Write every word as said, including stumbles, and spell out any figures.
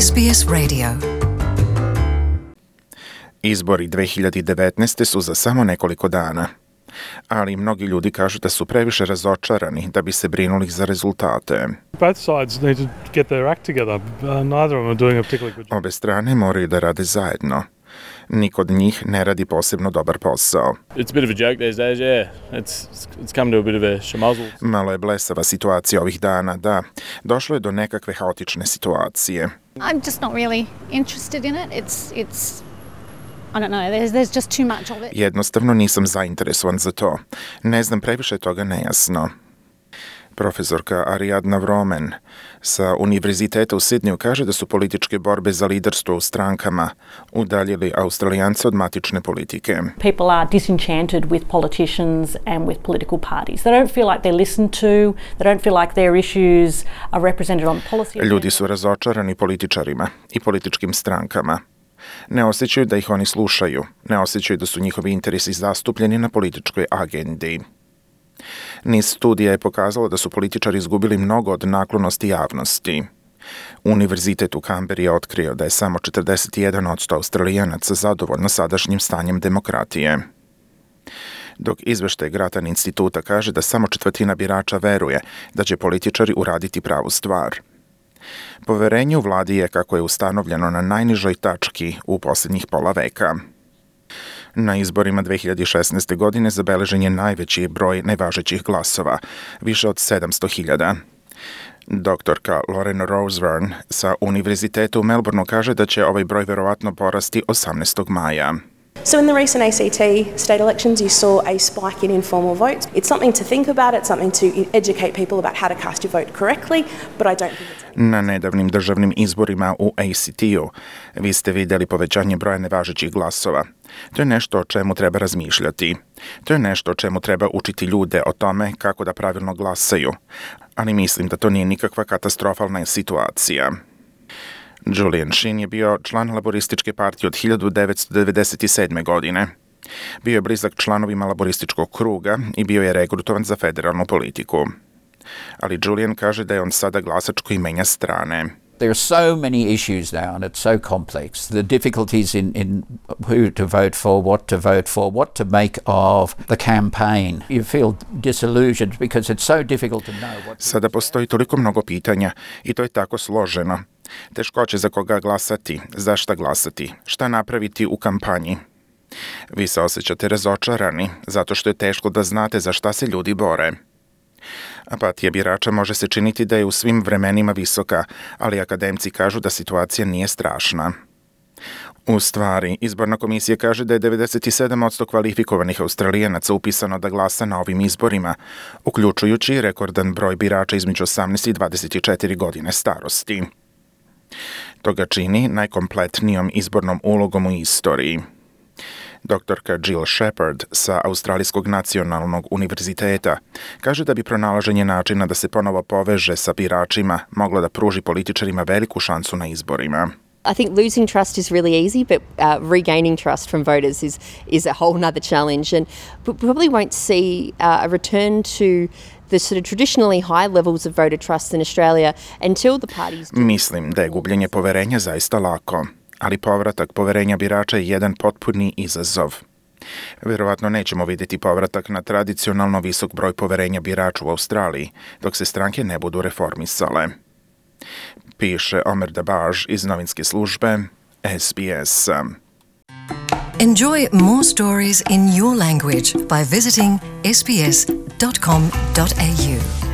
S B S Radio. Izbori dve hiljade devetnaeste. su za samo nekoliko dana, ali mnogi ljudi kažu da su previše razočarani da bi se brinuli za rezultate. Both sides need to get their act together. Uh, neither of them are doing a particularly good job. Obe strane moraju da rade zajedno. Niko od njih ne radi posebno dobar posao. It's a bit of a joke these days, yeah. It's it's come to a bit of a schmozzle. Malo je blesava situacija ovih dana, da. Došlo je do nekakve haotične situacije. I'm just not really interested in it. It's it's I don't know, there's, there's just too much of it. Jednostavno nisam zainteresovan za to. Ne znam, previše toga nejasno. Profesorka Ariadna Vromen sa Univerziteta u Sidneju kaže da su političke borbe za liderstvo u strankama udaljili Australijance od matične politike. People are disenchanted with politicians and with political parties. They don't feel like they're listened to. They don't feel like their issues are represented on policy. Ljudi su razočarani političarima i političkim strankama. Ne osjećaju da ih oni slušaju, ne osjećaju da su njihovi interesi zastupljeni na političkoj agendi. Niz studija je pokazalo da su političari izgubili mnogo od naklonosti javnosti. Univerzitet u Kamberi je otkrio da je samo četrdeset jedan posto Australijanaca zadovoljno sadašnjim stanjem demokratije. Dok izveštaj Grattan instituta kaže da samo četvrtina birača veruje da će političari uraditi pravu stvar. Poverenje u vladi je, kako je ustanovljeno, na najnižoj tački u posljednjih pola veka. Na izborima dve hiljade šesnaeste. godine zabeležen je najveći broj nevažećih glasova, više od sedamsto hiljada. Doktorka Lauren Roseverne sa Univerziteta u Melbourneu kaže da će ovaj broj verovatno porasti osamnaestog maja. So in the recent A C T state elections, you saw a spike in informal votes. It's something to think about. It's something to educate people about how to cast your vote correctly, but I don't think it's... Na nedavnim državnim izborima u A C T-u vi ste vidjeli povećanje broja nevažećih glasova. To je nešto o čemu treba razmišljati. To je nešto o čemu treba učiti ljude o tome kako da pravilno glasaju. Ali mislim da to nije nikakva katastrofalna situacija. Julian Sheen je bio član Laborističke partije od hiljadu devetsto devedeset sedme. godine. Bio je blizak članovima Laborističkog kruga i bio je regrutovan za federalnu politiku. Ali Julian kaže da je on sada glasač koji menja strane. There are so many issues now and it's so complex. The difficulties in, in who to vote for, what to vote for, what to make of the campaign. You feel disillusioned because it's so difficult to know what... Sada postoji toliko mnogo pitanja i to je tako složeno. Teškoće za koga glasati, za šta glasati, šta napraviti u kampanji. Vi se osjećate razočarani zato što je teško da znate za šta se ljudi bore. Apatija birača može se činiti da je u svim vremenima visoka, ali akademci kažu da situacija nije strašna. U stvari, izborna komisija kaže da je devedeset sedam posto kvalifikovanih Australijanaca upisano da glasa na ovim izborima, uključujući rekordan broj birača između osamnaest i dvadeset četiri godine starosti. To ga čini najkompletnijom izbornom ulogom u istoriji. Doktorka Jill Shepard sa Australijskog nacionalnog univerziteta kaže da bi pronalaženje načina da se ponovo poveže sa biračima moglo da pruži političarima veliku šansu na izborima. I think losing trust is really easy, but uh, regaining trust from voters is is a whole nother challenge, and we probably won't see uh, a return to the sort of traditionally high levels of voter trust in Australia until the parties... Mislim da je gubljenje poverenja zaista lako, ali povratak poverenja birača je jedan potpuni izazov. Verovatno nećemo vidjeti povratak na tradicionalno visok broj poverenja birača u Australiji, dok se stranke ne budu reformisale. Piše Omer Dabaž iz novinske službe S B S. Enjoy more stories in your language by visiting s b s dot com dot a u.